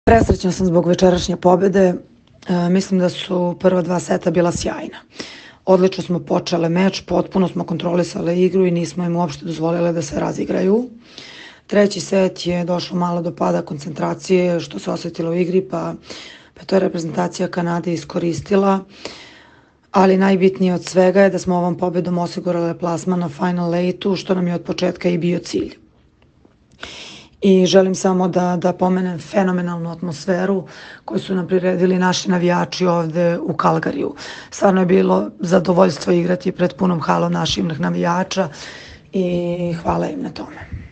Presrećna sam zbog večerašnje pobede. Mislim da su prva dva seta bila sjajna. Odlično smo počele meč, potpuno smo kontrolisale igru i nismo im uopšte dozvolile da se razigraju. Treći set je došlo malo do pada koncentracije, što se osetilo u igri, pa to je reprezentacija Kanade iskoristila. Ali najbitnije od svega je da smo ovom pobedom osigurale plasman na Final 8, što nam je od početka i bio cilj. I želim samo da pomenem fenomenalnu atmosferu koju su nam priredili naši navijači ovde u Kalgariju. Stvarno je bilo zadovoljstvo igrati pred punom halom naših navijača i hvala im na tome.